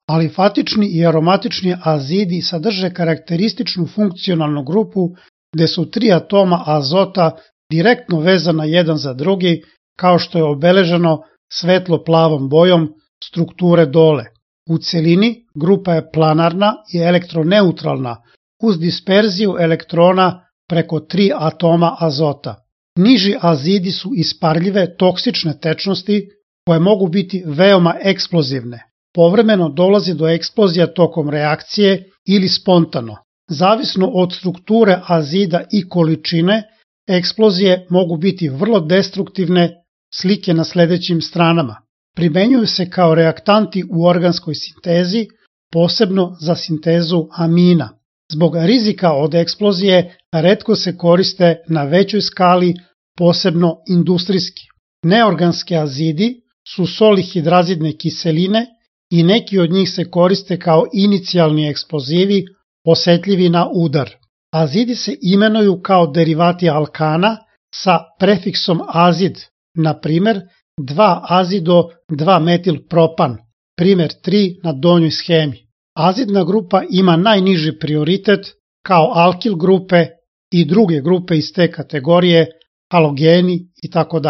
Alifatični i aromatični azidi sadrže karakterističnu funkcionalnu grupu gde su 3 atoma azota direktno vezana jedan za drugi, kao što je obeleženo svetlo-plavom bojom strukture dole. U celini grupa je planarna i elektroneutralna uz disperziju elektrona preko 3 atoma azota. Niži azidi su isparljive toksične tečnosti koje mogu biti veoma eksplozivne. Povremeno dolazi do eksplozija tokom reakcije ili spontano. Zavisno od strukture azida i količine, eksplozije mogu biti vrlo destruktivne, slike na sledećim stranama. Primenjuju se kao reaktanti u organskoj sintezi, posebno za sintezu amina. Zbog rizika od eksplozije retko se koriste na većoj skali, posebno industrijski. Neorganski azidi su soli hidrazidne kiseline i neki od njih se koriste kao inicijalni eksplozivi osetljivi na udar. Azidi se imenuju kao derivati alkana sa prefiksom azid, na primer 2-azido-2-metilpropan, primer 3 na donjoj schemi. Azidna grupa ima najniži prioritet kao alkil grupe i druge grupe iz te kategorije, halogeni itd.